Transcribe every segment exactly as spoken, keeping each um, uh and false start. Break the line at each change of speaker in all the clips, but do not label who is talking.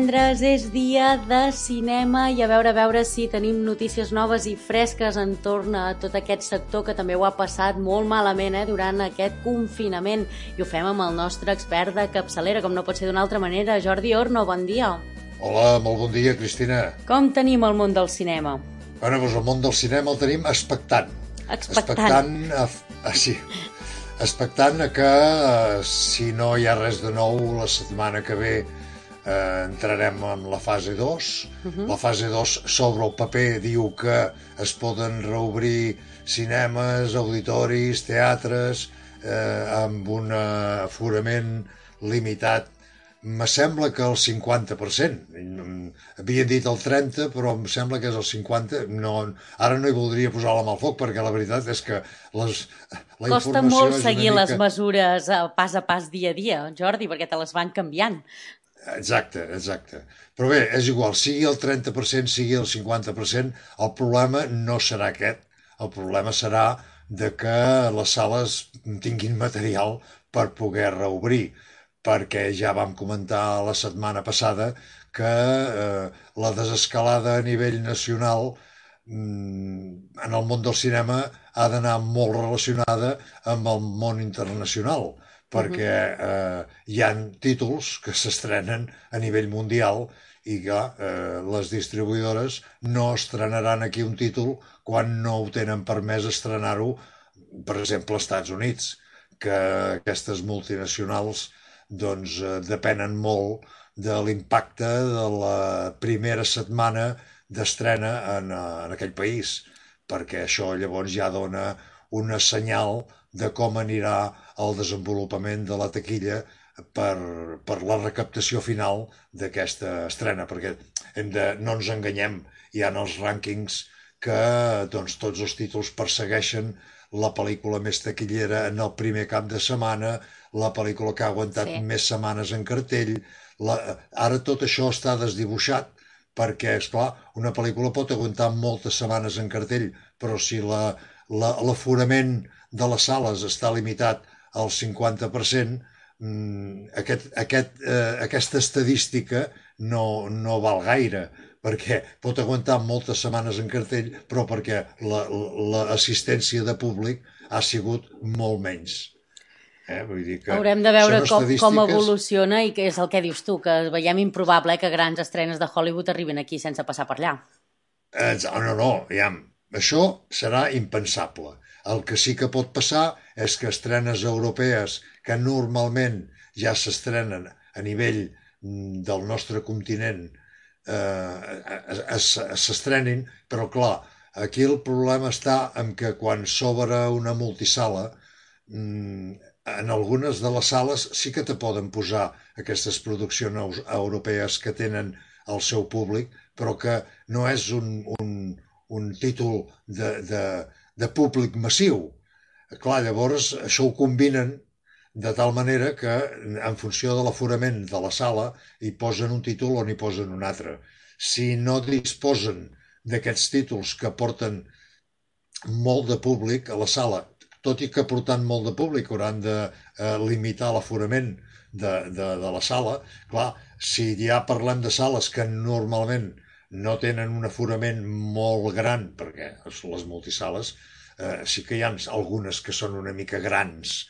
divendres és dia de cinema i a veure a veure si tenim notícies noves i fresques entorn a tot aquest sector que també ho ha passat molt malament eh, durant aquest confinament. I ho fem amb el nostre expert de capçalera, com no pot ser d'una altra manera. Jordi Orno, bon dia.
Hola, molt bon dia, Cristina.
Com tenim el món del cinema?
Bueno, doncs el món del cinema el tenim expectant.
Expectant.
Expectant, a, a, sí, expectant a que, eh, si no hi ha res de nou, la setmana que ve eh, entrarem en la fase dos. Uh-huh. La fase dos, sobre el paper, diu que es poden reobrir cinemes, auditoris, teatres, eh, amb un aforament limitat. Me sembla que el cinquanta per cent. Havien dit el trenta, però em sembla que és el cinquanta. No, ara no hi voldria posar la mà al foc, perquè la veritat és que les, la
Costa molt seguir mica... les mesures pas a pas, dia a dia, Jordi, perquè te les van canviant.
Exacte, exacte. Però bé, és igual, sigui el trenta per cent, sigui el cinquanta per cent, el problema no serà aquest. El problema serà de que les sales tinguin material per poder reobrir, perquè ja vam comentar la setmana passada que eh, la desescalada a nivell nacional mm, en el món del cinema ha d'anar molt relacionada amb el món internacional, perquè eh, hi ha títols que s'estrenen a nivell mundial i que eh, les distribuïdores no estrenaran aquí un títol quan no ho tenen permès estrenar-ho, per exemple, als Estats Units, que aquestes multinacionals doncs eh, depenen molt de l'impacte de la primera setmana d'estrena en, en aquell país, perquè això llavors ja dona una senyal de com anirà el desenvolupament de la taquilla per, per la recaptació final d'aquesta estrena, perquè hem de, no ens enganyem, hi ha els rànquings que doncs, tots els títols persegueixen la pel·lícula més taquillera en el primer cap de setmana, la pel·lícula que ha aguantat sí. més setmanes en cartell. La... Ara tot això està desdibuixat perquè, esclar, una pel·lícula pot aguantar moltes setmanes en cartell, però si la, la, l'aforament de les sales està limitat al cinquanta per cent, aquest, aquest, eh, aquesta estadística no, no val gaire, perquè pot aguantar moltes setmanes en cartell, però perquè l'assistència la, de públic ha sigut molt menys. Eh? Vull dir que
haurem de veure com, estadístiques... com evoluciona i què és el que dius tu, que veiem improbable eh, que grans estrenes de Hollywood arriben aquí sense passar per allà.
Eh, no, no, ja, això serà impensable. El que sí que pot passar és que estrenes europees que normalment ja s'estrenen a nivell del nostre continent eh, s'estrenin, però clar, aquí el problema està en que quan s'obre una multisala, en algunes de les sales sí que te poden posar aquestes produccions europees que tenen el seu públic, però que no és un, un, un títol de, de, de públic massiu. Clar, llavors això ho combinen de tal manera que en funció de l'aforament de la sala hi posen un títol o n'hi posen un altre. Si no disposen d'aquests títols que porten molt de públic a la sala, tot i que portant molt de públic hauran de eh, limitar l'aforament de, de, de la sala, clar, si ja parlem de sales que normalment no tenen un aforament molt gran, perquè les multisales eh, sí que hi ha algunes que són una mica grans,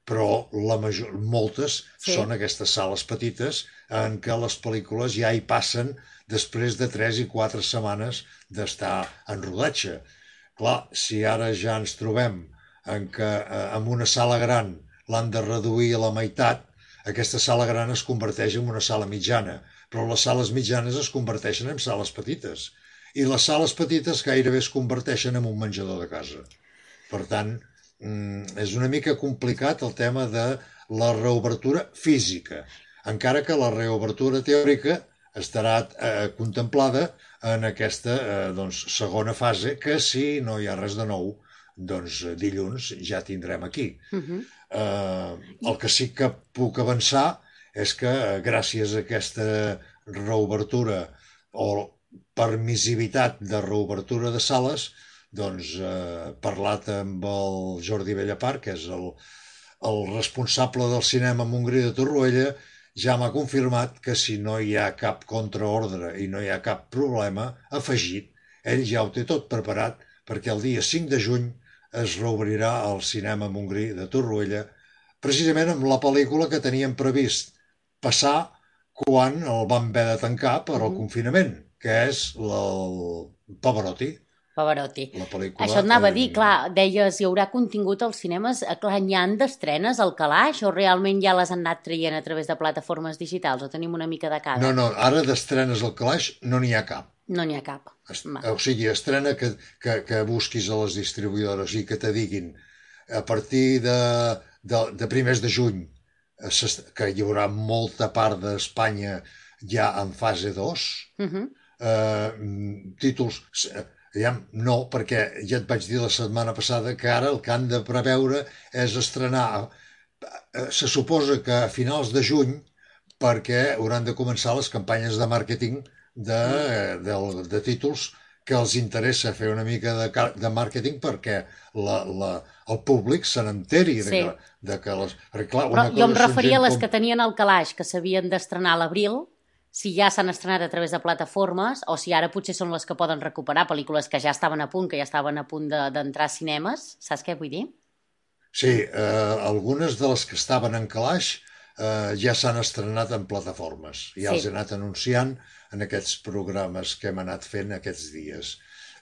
però la major, moltes sí. són aquestes sales petites en què les pel·lícules ja hi passen després de tres i quatre setmanes d'estar en rodatge. Clar, si ara ja ens trobem en què eh, en una sala gran l'han de reduir a la meitat, aquesta sala gran es converteix en una sala mitjana, però les sales mitjanes es converteixen en sales petites, i les sales petites gairebé es converteixen en un menjador de casa. Per tant, és una mica complicat el tema de la reobertura física, encara que la reobertura teòrica estarà eh, contemplada en aquesta eh, doncs, segona fase, que si no hi ha res de nou, doncs dilluns ja tindrem aquí. Uh-huh. eh, el que sí que puc avançar és que gràcies a aquesta reobertura o permissivitat de reobertura de sales, doncs eh, parlat amb el Jordi Bellapar, que és el, el responsable del cinema a Montgrí de Torroella, ja m'ha confirmat que si no hi ha cap contraordre i no hi ha cap problema afegit, ell ja ho té tot preparat perquè el dia cinc de juny es reobrirà el cinema Montgrí de Torroella, precisament amb la pel·lícula que teníem previst passar quan el van haver de tancar per al confinament, que és el Pavarotti.
Pavarotti.
La pel·lícula...
Això et anava a dir,
eh,
clar, deies, hi haurà contingut als cinemes, eh, clar, n'hi ha d'estrenes al calaix o realment ja les han anat traient a través de plataformes digitals o tenim una mica de cada?
No, no, ara d'estrenes al calaix no n'hi ha cap.
No n'hi ha cap.
Est
Va.
o sigui, estrena que, que, que busquis a les distribuïdores i que te diguin a partir de, de, de primers de juny eh, s'est- que hi haurà molta part d'Espanya ja en fase dos,
Mhm.
eh, mm, títols... eh, Ja, no, perquè ja et vaig dir la setmana passada que ara el que han de preveure és estrenar, eh, se suposa que a finals de juny, perquè hauran de començar les campanyes de màrqueting de, de, de títols que els interessa fer una mica de, ca- de màrqueting perquè la, la, el públic se n'enteri de,
Sí.
que, de que les... Perquè, clar,
Però
una
jo em
cosa són
referia a
gent
les
com-
que tenien al calaix, que s'havien d'estrenar a l'abril, si ja s'han estrenat a través de plataformes o si ara potser són les que poden recuperar pel·lícules que ja estaven a punt, que ja estaven a punt de- d'entrar a cinemes. Saps què vull dir?
Sí, eh, algunes de les que estaven en calaix eh, ja s'han estrenat en plataformes. Ja
Sí.
els he anat anunciant en aquests programes que hem anat fent aquests dies.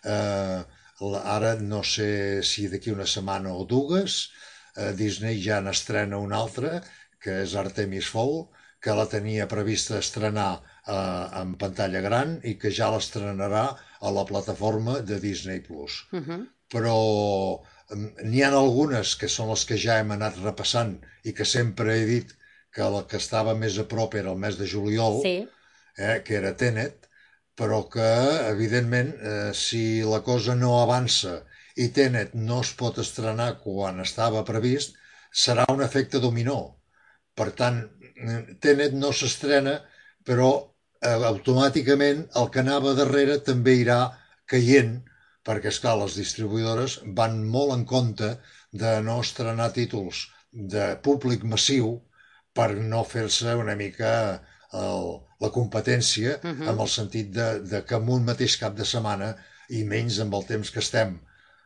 Eh, la- ara no sé si d'aquí una setmana o dues eh, Disney ja n'estrena una altra, que és Artemis Fowl, que la tenia prevista estrenar eh, en pantalla gran i que ja l'estrenarà a la plataforma de Disney Plus.
Mhm.
Però mm, n'hi ha algunes que són les que ja hem anat repassant i que sempre he dit que la que estava més a prop era el mes de juliol,
Sí.
eh, que era Tenet, però que, evidentment, eh, si la cosa no avança i Tenet no es pot estrenar quan estava previst, serà un efecte dominó. Per tant, mm, Tenet no s'estrena, però eh, automàticament el que anava darrere també irà caient, perquè, esclar, les distribuïdores van molt en compte de no estrenar títols de públic massiu per no fer-se una mica el, la competència,
Mhm.
amb el sentit de, de que en un mateix cap de setmana, i menys amb el temps que estem,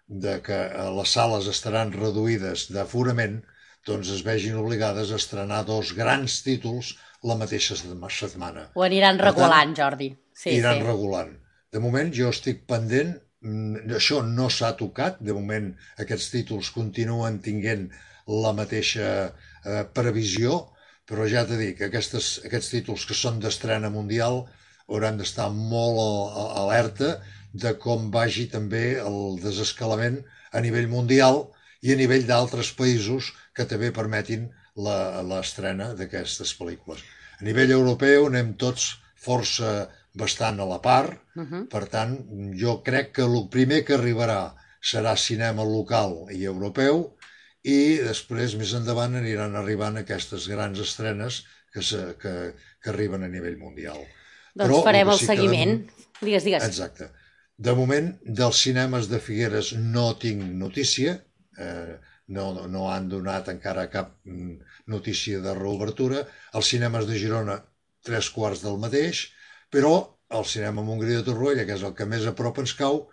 de que eh, les sales estaran reduïdes d'aforament, doncs es vegin obligades a estrenar dos grans títols la mateixa setma- setmana.
Ho aniran
Per tant,
regulant, Jordi. Sí,
Iran
sí.
regulant. De moment jo estic pendent, mm, això no s'ha tocat, de moment aquests títols continuen tinguent la mateixa eh, previsió, però ja t'he dit que aquestes, aquests títols que són d'estrena mundial hauran d'estar molt a- a- alerta de com vagi també el desescalament a nivell mundial i a nivell d'altres països que també permetin la- l'estrena d'aquestes pel·lícules. A nivell europeu anem tots força bastant a la part,
Mhm.
per tant, jo crec que el primer que arribarà serà cinema local i europeu i després, més endavant, aniran arribant aquestes grans estrenes que, se, que, que arriben a nivell mundial.
Doncs
Però
farem
el
el
que sí que de
seguiment. Digues, digues.
Exacte. De moment, dels cinemes de Figueres no tinc notícia, eh, no, no han donat encara cap mm, notícia de reobertura. Els cinemes de Girona, tres quarts del mateix, però el cinema Montgrí de Torroella, que és el que més a prop ens cau,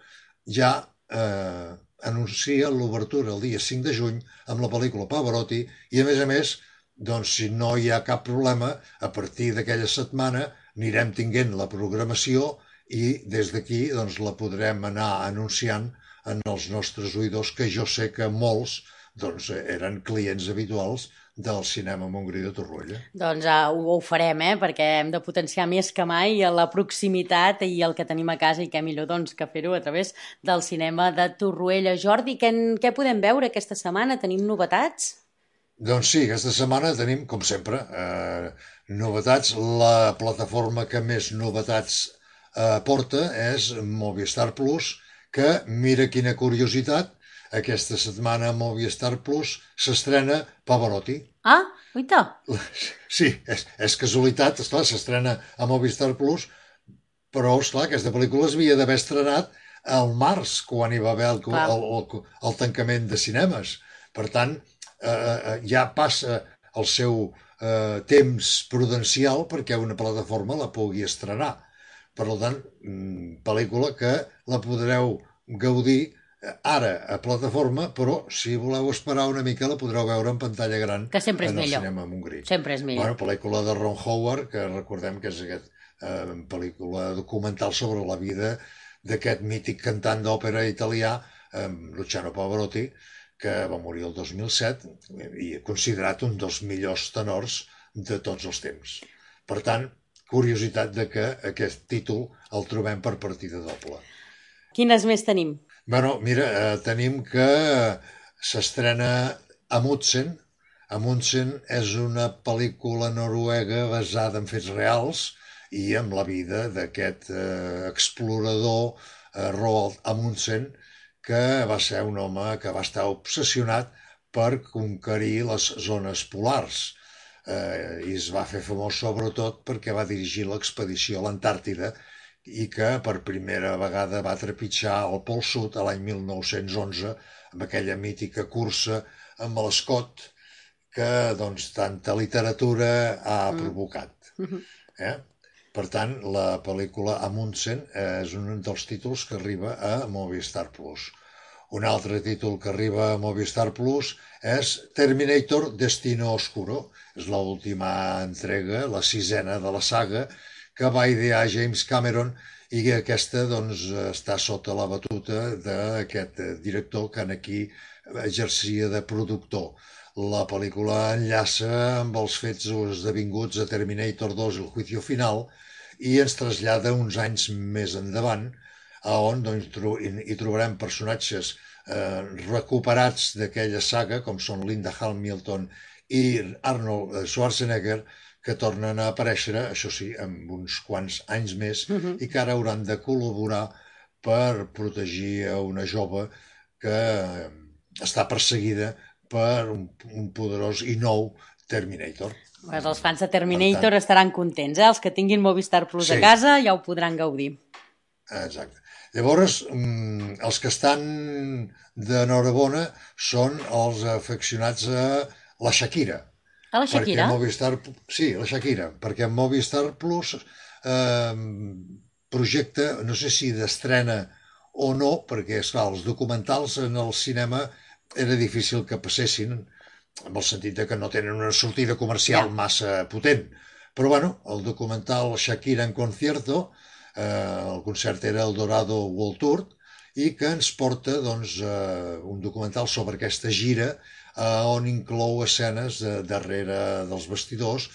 ja eh, anuncia l'obertura el dia cinc de juny amb la pel·lícula Pavarotti i, a més a més, doncs, si no hi ha cap problema, a partir d'aquella setmana anirem tinguent la programació i des d'aquí doncs, la podrem anar anunciant en els nostres oïdors, que jo sé que molts doncs, eren clients habituals del cinema Montgrí de Torroella.
Doncs uh, ho, ho farem, eh? Perquè hem de potenciar més que mai la proximitat i el que tenim a casa i què millor doncs, que fer-ho a través del cinema de Torroella. Jordi, què, què podem veure aquesta setmana? Tenim novetats?
Doncs sí, aquesta setmana tenim, com sempre, eh, novetats. La plataforma que més novetats eh, porta és Movistar Plus, que, mira quina curiositat, aquesta setmana a Movistar Plus s'estrena Pavarotti.
Ah, uita!
Sí, és, és casualitat, esclar, s'estrena a Movistar Plus, però, esclar, aquesta pel·lícula es havia d'haver estrenat al març, quan hi va haver el,
Clar.
el, el, el tancament de cinemes. Per tant, eh, eh, ja passa el seu eh, temps prudencial perquè una plataforma la pugui estrenar. Per tant, pel·lícula que la podreu gaudir ara a plataforma, però si voleu esperar una mica la podreu veure en pantalla gran
que sempre és
en el
millor.
cinema Montgrí.
Sempre és millor.
Bueno, pel·lícula de Ron Howard, que recordem que és aquesta eh, pel·lícula documental sobre la vida d'aquest mític cantant d'òpera italià, eh, Luciano Pavarotti, que va morir el dos mil set i considerat un dels millors tenors de tots els temps. Per tant, curiositat de que aquest títol el trobem per partida doble.
Quines més tenim?
Bueno, mira, eh, tenim que s'estrena Amundsen. Amundsen és una pel·lícula noruega basada en fets reals i amb la vida d'aquest eh, explorador eh, Roald Amundsen, que va ser un home que va estar obsessionat per conquerir les zones polars. Eh, I es va fer famós sobretot perquè va dirigir l'expedició a l'Antàrtida i que per primera vegada va trepitjar el Pol Sud a l'any mil nou-cents onze amb aquella mítica cursa amb l'Scott que doncs tanta literatura ha provocat. Eh? Per tant, la pel·lícula Amundsen és un dels títols que arriba a Movistar Plus. Un altre títol que arriba a Movistar Plus és Terminator Destino Oscuro. És l'última entrega, la sisena de la saga, que va idear James Cameron i que aquesta doncs, està sota la batuta d'aquest director que aquí exercia de productor. La pel·lícula enllaça amb els fets esdevinguts a Terminator dos, el juicio final, i ens trasllada uns anys més endavant, on doncs, hi trobarem personatges eh, recuperats d'aquella saga, com són Linda Hamilton i Arnold Schwarzenegger, que tornen a aparèixer, això sí, amb uns quants anys més, uh-huh. i que ara hauran de col·laborar per protegir a una jove que està perseguida per un, un poderós i nou Terminator.
Pues els fans de Terminator tant, estaran contents, eh? Els que tinguin Movistar Plus sí. a casa ja ho podran gaudir.
Exacte. Llavors, els que estan d'enhorabona són els afeccionats a la Shakira.
A la Shakira?
Movistar, sí, la Shakira, perquè Movistar Plus eh, projecta, no sé si d'estrena o no, perquè, esclar, els documentals en el cinema era difícil que passessin, en el sentit de que no tenen una sortida comercial ja. massa potent. Però, bueno, el documental Shakira en concierto, eh, el concert era el Dorado World Tour, i que ens porta doncs, eh, un documental sobre aquesta gira on inclou escenes darrere dels vestidors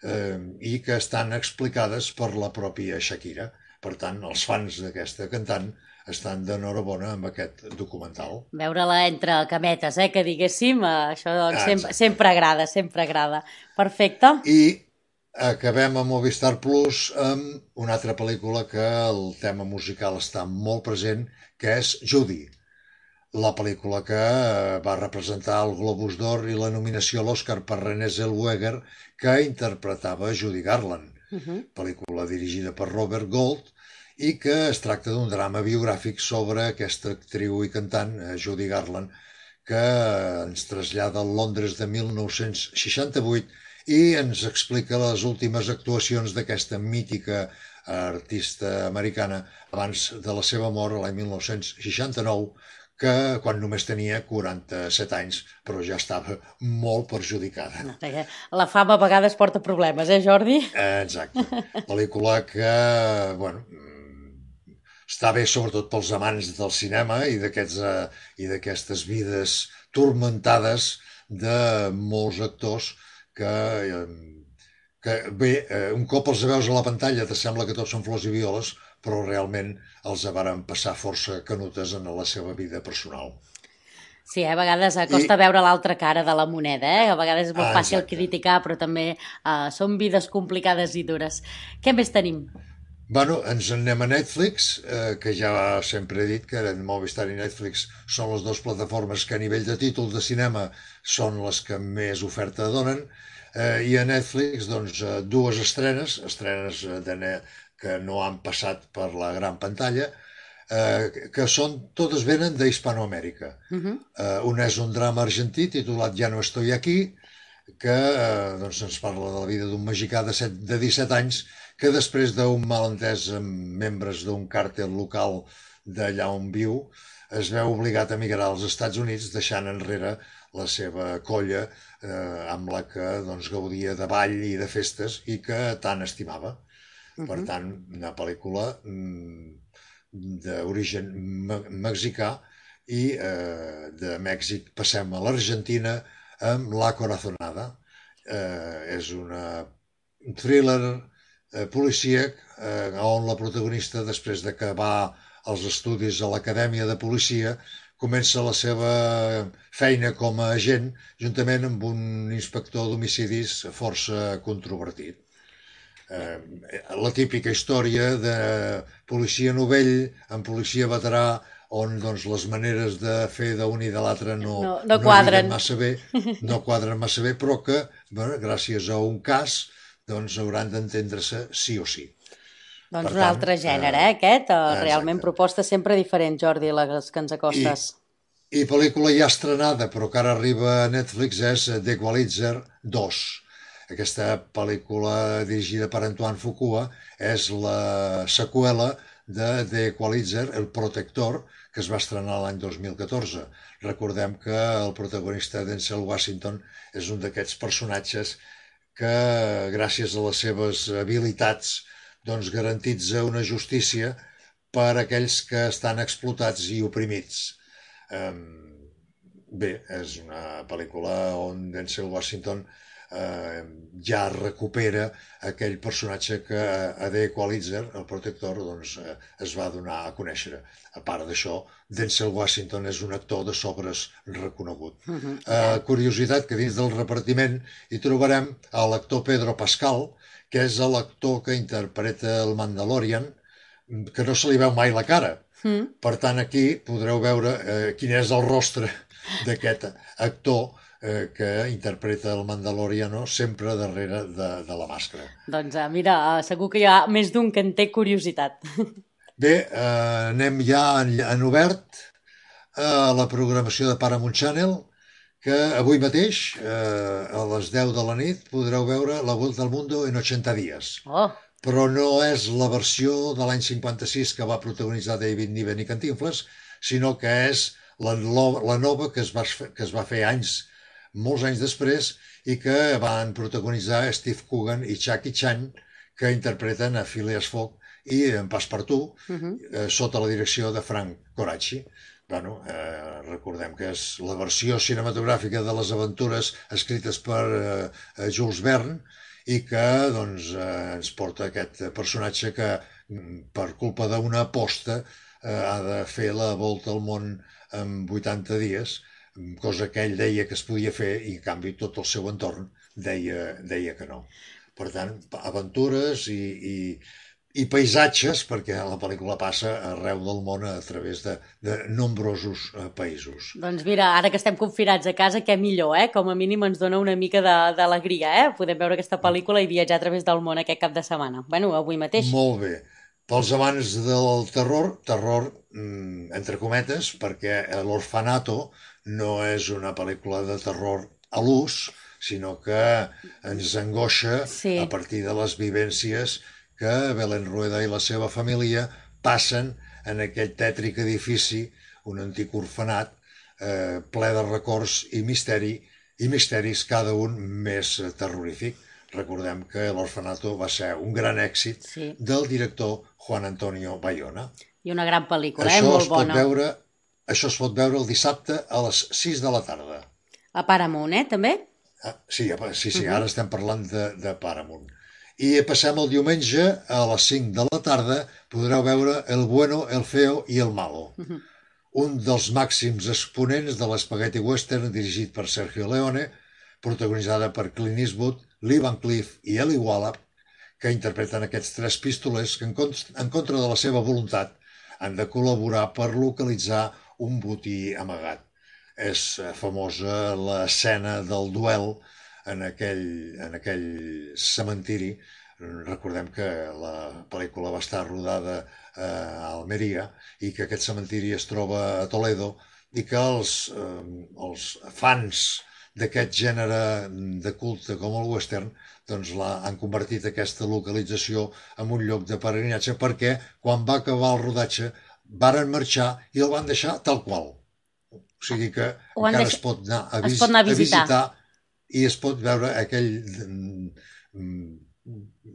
eh, i que estan explicades per la pròpia Shakira. Per tant, els fans d'aquesta cantant estan d'enhorabona amb aquest documental.
Veure-la entre cametes, eh, que diguéssim, això doncs, sempre, sempre agrada, sempre agrada. Perfecte.
I acabem a Movistar Plus amb una altra pel·lícula que el tema musical està molt present, que és Judy. La pel·lícula que va representar el Globus d'Or i la nominació a l'Oscar per Renée Zellweger, que interpretava Judy Garland. Uh-huh. Pel·lícula dirigida per Robert Gold i que es tracta d'un drama biogràfic sobre aquesta actriu i cantant, Judy Garland, que ens trasllada al Londres de mil nou-cents seixanta-vuit i ens explica les últimes actuacions d'aquesta mítica artista americana abans de la seva mort l'any mil nou-cents seixanta-nou, que quan només tenia quaranta-set anys, però ja estava molt perjudicada.
No, la fama a vegades porta problemes, eh, Jordi?
Exacte. Pel·lícula que, bueno, està bé sobretot pels amants del cinema i d'aquests eh, i d'aquestes vides turmentades de molts actors que, que bé, un cop els veus a la pantalla te sembla que tots són flors i violes, però realment els varen passar força canutes en la seva vida personal.
Sí, a vegades costa I... veure l'altra cara de la moneda, eh? A vegades és molt ah, fàcil exacte. criticar, però també uh, són vides complicades i dures. Què més tenim?
Bueno, ens en anem a Netflix, eh, que ja sempre he dit que Movistar i Netflix són les dues plataformes que a nivell de títols de cinema són les que més oferta donen, eh, i a Netflix doncs, dues estrenes, estrenes de que no han passat per la gran pantalla, eh, que són, totes venen d'Hispanoamèrica. Uh-huh. eh, un és un drama argentí titulat Ja no estoy aquí, que eh, doncs ens parla de la vida d'un mexicà de, set, de disset anys que després d'un malentès amb membres d'un càrtel local d'allà on viu es veu obligat a migrar als Estats Units deixant enrere la seva colla eh, amb la que doncs, gaudia de ball i de festes i que tant estimava.
Uh
Per
-huh.
tant, una pel·lícula mm, d'origen me mexicà i eh, de Mèxic passem a l'Argentina amb La Corazonada. Eh, és una, un thriller eh, policíac eh, on la protagonista, després d'acabar els estudis a l'Acadèmia de Policia, comença la seva feina com a agent juntament amb un inspector d'homicidis força controvertit. Eh, la típica història de policia novell amb policia veterà on doncs, les maneres de fer d'un i de l'altre no,
No, no
no lliguen
quadren.
massa bé, no quadren massa bé, però que, bueno, gràcies a un cas, doncs hauran d'entendre-se sí o sí.
Doncs
Per
un
tant,
altre gènere,
eh,
eh, aquest. Eh, realment
exacte.
propostes sempre diferents, Jordi, les que ens
I,
acostes.
I pel·lícula ja estrenada, però que ara arriba a Netflix, és The Equalizer dos. Aquesta pel·lícula dirigida per Antoine Fuqua és la seqüela de The Equalizer, El Protector, que es va estrenar l'any dos mil catorze. Recordem que el protagonista Denzel Washington és un d'aquests personatges que, gràcies a les seves habilitats, doncs garantitza una justícia per a aquells que estan explotats i oprimits. Um, bé, és una pel·lícula on Denzel Washington eh, ja recupera aquell personatge que a The Equalizer, el protector, doncs, eh, es va donar a conèixer. A part d'això, Denzel Washington és un actor de sobres reconegut.
Uh -huh.
Eh, curiositat que dins del repartiment hi trobarem a l'actor Pedro Pascal, que és l'actor que interpreta el Mandalorian, que no se li veu mai la cara.
Mm.
Per tant, aquí podreu veure eh, quin és el rostre d'aquest actor eh, que interpreta el Mandaloriano sempre darrere de, de la màscara.
Doncs eh, mira, eh, segur que hi ha més d'un que en té curiositat.
Bé, eh, anem ja en, en obert a la programació de Paramount Channel, que avui mateix, eh, a les deu de la nit, podreu veure La Vuelta al Mundo en ochenta días.
Oh,
Però no és la versió de l'any cinquanta-sis que va protagonitzar David Niven i Cantinflas, sinó que és la, la nova que es, va, que es va fer anys, molts anys després, i que van protagonitzar Steve Coogan i Jackie Chan, que interpreten a Phileas Fogg i en Passepartout, uh -huh. eh, sota la direcció de Frank Coraci. Bueno, eh, recordem que és la versió cinematogràfica de les aventures escrites per eh, Jules Verne, i que doncs, eh, ens porta aquest personatge que per culpa d'una aposta eh, ha de fer la volta al món en vuitanta dies, cosa que ell deia que es podia fer i en canvi tot el seu entorn deia, deia que no. Per tant, aventures i, i, i paisatges, perquè la pel·lícula passa arreu del món a través de, de nombrosos eh, països.
doncs mira, ara que estem confinats a casa, què millor, eh? Com a mínim ens dona una mica de- d'alegria, eh? Podem veure aquesta pel·lícula i viatjar a través del món aquest cap de setmana. Bueno, avui mateix.
Molt bé. Pels amants del terror, terror mm, entre cometes, perquè l'Orfanato no és una pel·lícula de terror a l'ús, sinó que ens angoixa
Sí.
a partir de les vivències que Belén Rueda i la seva família passen en aquell tètric edifici, un antic orfenat, eh, ple de records i misteri, i misteris cada un més terrorífic. Recordem que l'Orfanato va ser un gran èxit
Sí.
del director Juan Antonio Bayona.
I una gran pel·lícula, eh?
Això
Molt
es pot
bona.
veure, això es pot veure el dissabte a les sis de la tarda.
A Paramount, eh? També?
Ah, sí, apa- sí, sí, ara estem parlant de, de Paramount. I passem el diumenge a les cinc de la tarda, podreu veure El bueno, el feo i el malo. Un dels màxims exponents de l'espagueti western dirigit per Sergio Leone, protagonitzada per Clint Eastwood, Lee Van Cleef i Eli Wallach, que interpreten aquests tres pistolers que en contra, en contra de la seva voluntat han de col·laborar per localitzar un botí amagat. És famosa l'escena del duel en aquell, en aquell cementiri. Recordem que la pel·lícula va estar rodada a Almeria i que aquest cementiri es troba a Toledo i que els, eh, els fans d'aquest gènere de culte com el western, doncs la, han convertit aquesta localització en un lloc de peregrinatge perquè quan va acabar el rodatge varen marxar i el van deixar tal qual. O sigui que
Ho han
encara
deix...
es pot anar a,
Es
vis
pot anar a
a
visitar.
visitar i es pot veure aquell mm,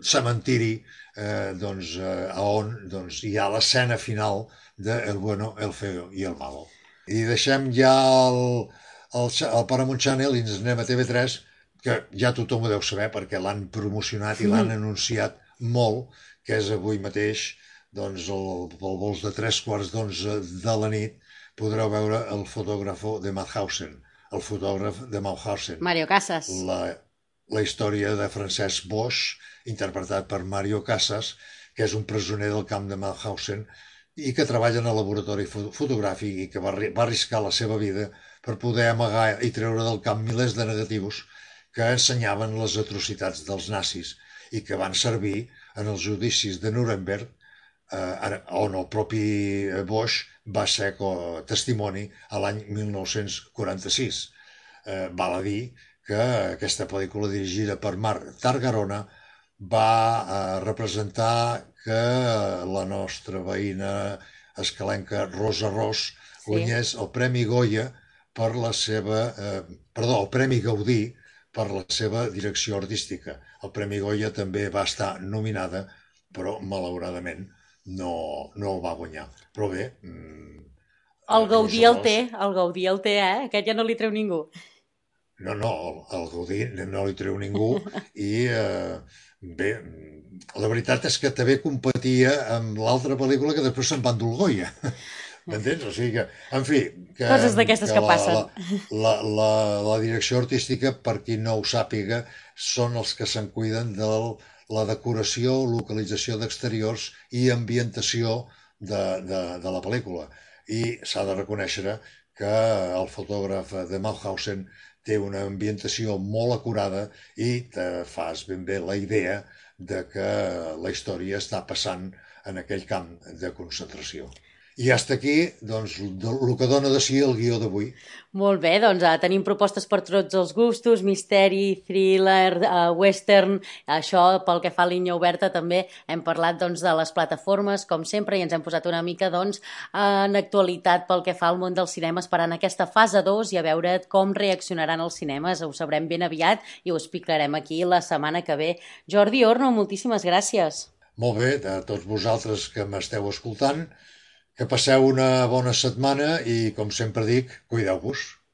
cementiri eh, doncs, eh, on doncs, hi ha l'escena final de El bueno, el feo i el malo. I deixem ja el, el, el Paramount Channel i ens anem a T V tres, que ja tothom ho deu saber perquè l'han promocionat i l'han anunciat molt, que és avui mateix, doncs el, el vols de tres quarts d'onze de la nit podreu veure el fotògrafo de Mauthausen, el fotògraf de Mauthausen.
Mario Casas.
La, la història de Francesc Boix, interpretat per Mario Casas, que és un presoner del camp de Mauthausen i que treballa en el laboratori fotogràfic i que va, va arriscar la seva vida per poder amagar i treure del camp milers de negatius que ensenyaven les atrocitats dels nazis i que van servir en els judicis de Nuremberg, eh, on el propi Boix va ser testimoni a l'any mil nou-cents quaranta-sis. Eh, val a dir que aquesta pel·lícula dirigida per Marc Targarona va eh, representar que la nostra veïna escalenca Rosa Ros
Sí.
guanyés el Premi Goya per la seva... Eh, perdó, el Premi Gaudí per la seva direcció artística. El Premi Goya també va estar nominada, però malauradament no, no el va guanyar. Però bé... Mm,
El Gaudí
Rosa
el
Ros-
té, el Gaudí el té, eh? Aquest ja no li treu ningú.
No, no, el, el Gaudí no li treu ningú i eh, bé, la veritat és que també competia amb l'altra pel·lícula que després se'n va endur el Goya. M'entens? O sigui que, en fi... Que,
Coses d'aquestes que
la,
passen.
La, la, la, la direcció artística, per qui no ho sàpiga, són els que se'n cuiden de la decoració, localització d'exteriors i ambientació de, de, de la pel·lícula. I s'ha de reconèixer que el fotògraf de Mauthausen té una ambientació molt acurada i te fas ben bé la idea de que la història està passant en aquell camp de concentració. I hasta aquí, doncs, el que dona de si el guió d'avui.
Molt bé, doncs uh, tenim propostes per tots els gustos, misteri, thriller, uh, western, això pel que fa a línia oberta també hem parlat doncs, de les plataformes, com sempre, i ens hem posat una mica doncs, en actualitat pel que fa al món del cinema, esperant aquesta fase dos i a veure com reaccionaran els cinemes, ho sabrem ben aviat i ho explicarem aquí la setmana que ve. Jordi Orno, moltíssimes gràcies.
Molt bé, a tots vosaltres que m'esteu escoltant, que passeu una bona setmana i, com sempre dic, cuideu-vos.